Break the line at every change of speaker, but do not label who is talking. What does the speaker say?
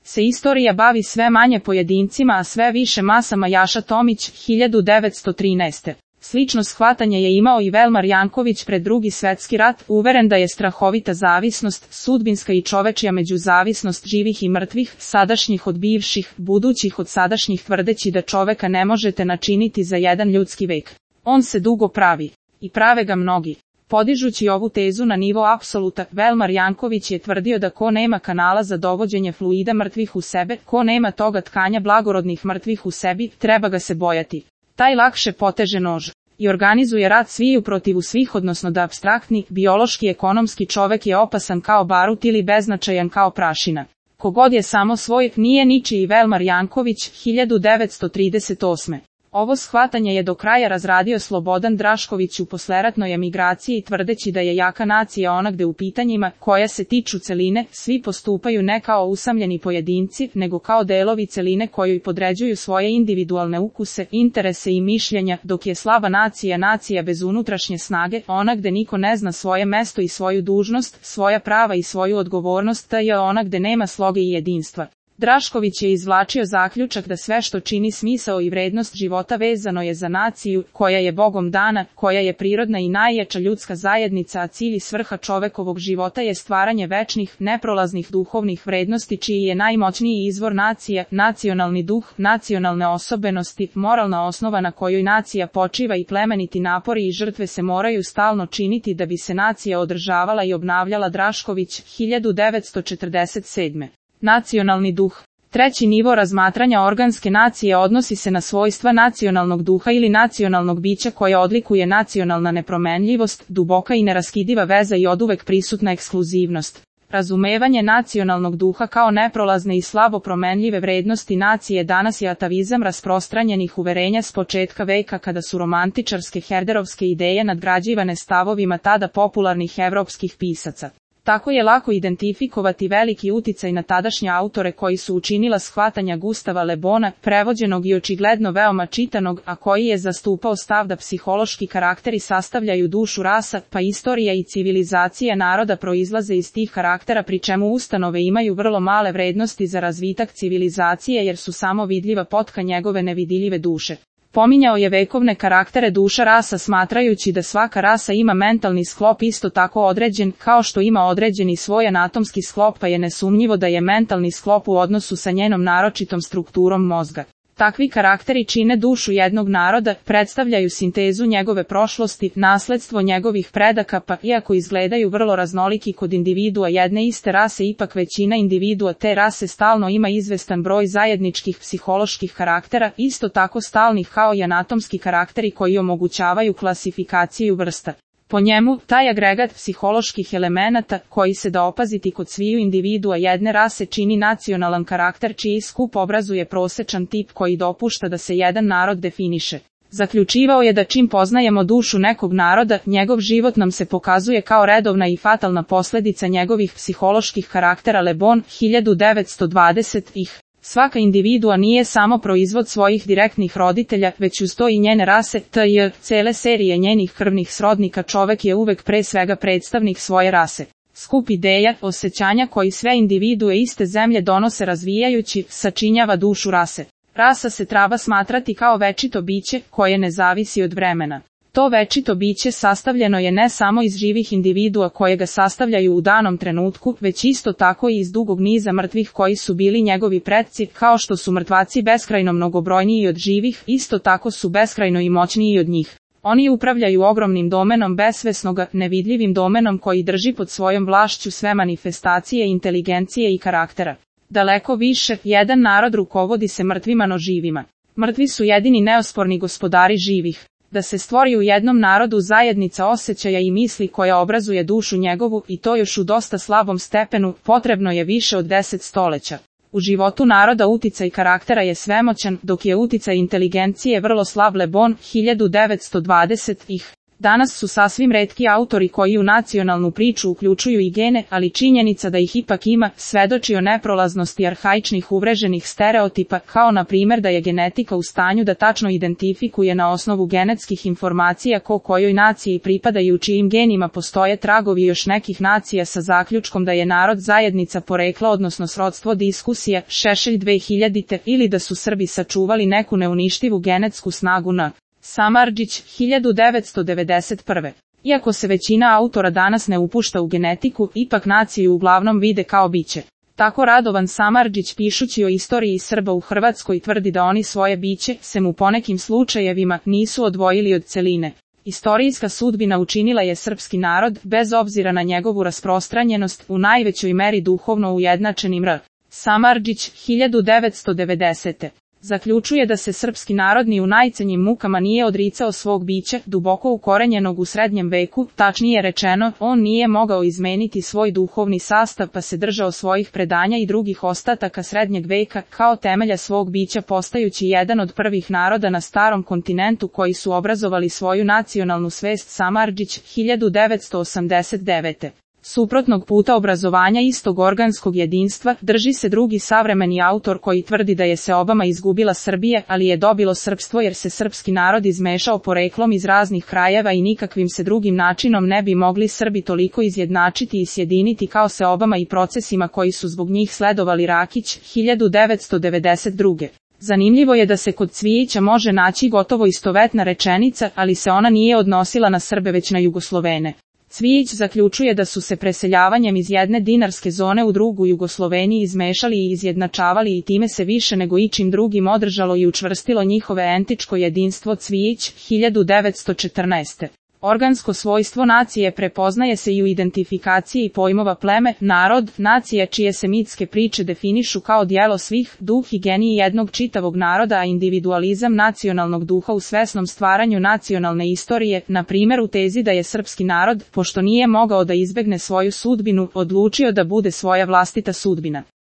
se istorija bavi sve manje pojedincima, a sve više masama. Jaša Tomić, 1913. Slično shvatanje je imao i Velmar Janković pred Drugi svetski rat, uveren da je strahovita zavisnost, sudbinska i čovečja međuzavisnost živih i mrtvih, sadašnjih od bivših, budućih od sadašnjih, tvrdeći da čoveka ne možete načiniti za jedan ljudski vek. On se dugo pravi. I prave ga mnogi. Podižući ovu tezu na nivo apsoluta, Velmar Janković je tvrdio da ko nema kanala za dovođenje fluida mrtvih u sebe, ko nema toga tkanja blagorodnih mrtvih u sebi, treba ga se bojati. Taj lakše poteže nož i organizuje rat sviju protiv svih, odnosno da apstraktni, biološki, ekonomski čovek je opasan kao barut ili beznačajan kao prašina. Kogod je samo svoj, nije ničiji. Velmar Janković, 1938. Ovo shvatanje je do kraja razradio Slobodan Drašković u posleratnoj emigraciji, tvrdeći da je jaka nacija ona gde u pitanjima, koja se tiču celine, svi postupaju ne kao usamljeni pojedinci, nego kao delovi celine kojoj podređuju svoje individualne ukuse, interese i mišljenja, dok je slaba nacija nacija bez unutrašnje snage, ona gde niko ne zna svoje mesto i svoju dužnost, svoja prava i svoju odgovornost, ta je ona gde nema sloge i jedinstva. Drašković je izvlačio zaključak da sve što čini smisao i vrednost života vezano je za naciju, koja je Bogom dana, koja je prirodna i najjača ljudska zajednica, a cilj i svrha čovekovog života je stvaranje večnih, neprolaznih duhovnih vrednosti čiji je najmoćniji izvor nacija, nacionalni duh, nacionalne osobenosti, moralna osnova na kojoj nacija počiva i plemeniti napori i žrtve se moraju stalno činiti da bi se nacija održavala i obnavljala. Drašković, 1947. Nacionalni duh. Treći nivo razmatranja organske nacije odnosi se na svojstva nacionalnog duha ili nacionalnog bića koje odlikuje nacionalna nepromenljivost, duboka i neraskidiva veza i oduvek prisutna ekskluzivnost. Razumevanje nacionalnog duha kao neprolazne i slabo promenljive vrednosti nacije danas je atavizam rasprostranjenih uverenja s početka veka, kada su romantičarske herderovske ideje nadgrađivane stavovima tada popularnih evropskih pisaca. Tako je lako identifikovati veliki uticaj na tadašnje autore koji su učinila shvatanja Gustava Le Bona, prevođenog i očigledno veoma čitanog, a koji je zastupao stav da psihološki karakteri sastavljaju dušu rasa, pa istorija i civilizacija naroda proizlaze iz tih karaktera, pri čemu ustanove imaju vrlo male vrednosti za razvitak civilizacije jer su samo vidljiva potka njegove nevidljive duše. Pominjao je vekovne karaktere duša rasa, smatrajući da svaka rasa ima mentalni sklop isto tako određen, kao što ima određeni svoj anatomski sklop, pa je nesumnjivo da je mentalni sklop u odnosu sa njenom naročitom strukturom mozga. Takvi karakteri čine dušu jednog naroda, predstavljaju sintezu njegove prošlosti, nasledstvo njegovih predaka, pa iako izgledaju vrlo raznoliki kod individua jedne iste rase, ipak većina individua te rase stalno ima izvestan broj zajedničkih psiholoških karaktera, isto tako stalnih kao i anatomski karakteri koji omogućavaju klasifikaciju vrsta. Po njemu, taj agregat psiholoških elemenata, koji se da opaziti kod sviju individua jedne rase, čini nacionalan karakter čiji skup obrazuje prosečan tip koji dopušta da se jedan narod definiše. Zaključivao je da čim poznajemo dušu nekog naroda, njegov život nam se pokazuje kao redovna i fatalna posledica njegovih psiholoških karaktera. Le Bon, 1920. Svaka individua nije samo proizvod svojih direktnih roditelja, već uz to i njene rase, cele serije njenih krvnih srodnika. Čovek je uvek pre svega predstavnik svoje rase. Skup ideja, osjećanja koji sve individue iste zemlje donose razvijajući, sačinjava dušu rase. Rasa se treba smatrati kao večito biće, koje ne zavisi od vremena. To večito biće sastavljeno je ne samo iz živih individua koje ga sastavljaju u danom trenutku, već isto tako i iz dugog niza mrtvih koji su bili njegovi predci, kao što su mrtvaci beskrajno mnogobrojniji od živih, isto tako su beskrajno i moćniji od njih. Oni upravljaju ogromnim domenom besvesnoga, nevidljivim domenom koji drži pod svojom vlašću sve manifestacije inteligencije i karaktera. Daleko više, jedan narod rukovodi se mrtvima no živima. Mrtvi su jedini neosporni gospodari živih. Da se stvori u jednom narodu zajednica osjećaja i misli koja obrazuje dušu njegovu, i to još u dosta slabom stepenu, potrebno je više od 10 stoleća. U životu naroda uticaj karaktera je svemoćan, dok je uticaj inteligencije vrlo slab. Le Bon, 1920. Danas su sasvim retki autori koji u nacionalnu priču uključuju i gene, ali činjenica da ih ipak ima, svedoči o neprolaznosti arhaičnih uvreženih stereotipa, kao na primjer da je genetika u stanju da tačno identifikuje na osnovu genetskih informacija kojoj naciji pripada i u čijim genima postoje tragovi još nekih nacija sa zaključkom da je narod zajednica porekla odnosno srodstvo diskusija, Šešelj 2000. Ili da su Srbi sačuvali neku neuništivu genetsku snagu na Samardžić, 1991. Iako se većina autora danas ne upušta u genetiku, ipak naciju uglavnom vide kao biće. Tako Radovan Samardžić pišući o istoriji Srba u Hrvatskoj tvrdi da oni svoje biće, sem u ponekim slučajevima, nisu odvojili od celine. Istorijska sudbina učinila je srpski narod, bez obzira na njegovu rasprostranjenost, u najvećoj meri duhovno ujednačenim Samardžić, 1990. Zaključuje da se srpski narod ni u najcenjim mukama nije odricao svog bića, duboko ukorenjenog u srednjem veku, tačnije rečeno, on nije mogao izmeniti svoj duhovni sastav pa se držao svojih predanja i drugih ostataka srednjeg veka, kao temelja svog bića postajući jedan od prvih naroda na starom kontinentu koji su obrazovali svoju nacionalnu svest. Samardžić, 1989. Suprotnog puta obrazovanja istog organskog jedinstva, drži se drugi savremeni autor koji tvrdi da je seobama izgubila Srbije, ali je dobilo srpstvo jer se srpski narod izmešao poreklom iz raznih krajeva i nikakvim se drugim načinom ne bi mogli Srbi toliko izjednačiti i sjediniti kao seobama i procesima koji su zbog njih sledovali. Rakić, 1992. Zanimljivo je da se kod Cvijića može naći gotovo istovetna rečenica, ali se ona nije odnosila na Srbe već na Jugoslovene. Cvijić zaključuje da su se preseljavanjem iz jedne dinarske zone u drugu Jugosloveniji izmešali i izjednačavali i time se više nego ičim drugim održalo i učvrstilo njihove entičko jedinstvo. Cvijić, 1914. Organsko svojstvo nacije prepoznaje se i u identifikaciji pojmova pleme, narod, nacija čije se mitske priče definišu kao dijelo svih, duh i genij jednog čitavog naroda, a individualizam nacionalnog duha u svesnom stvaranju nacionalne istorije, na primjer u tezi da je srpski narod, pošto nije mogao da izbegne svoju sudbinu, odlučio da bude svoja vlastita sudbina.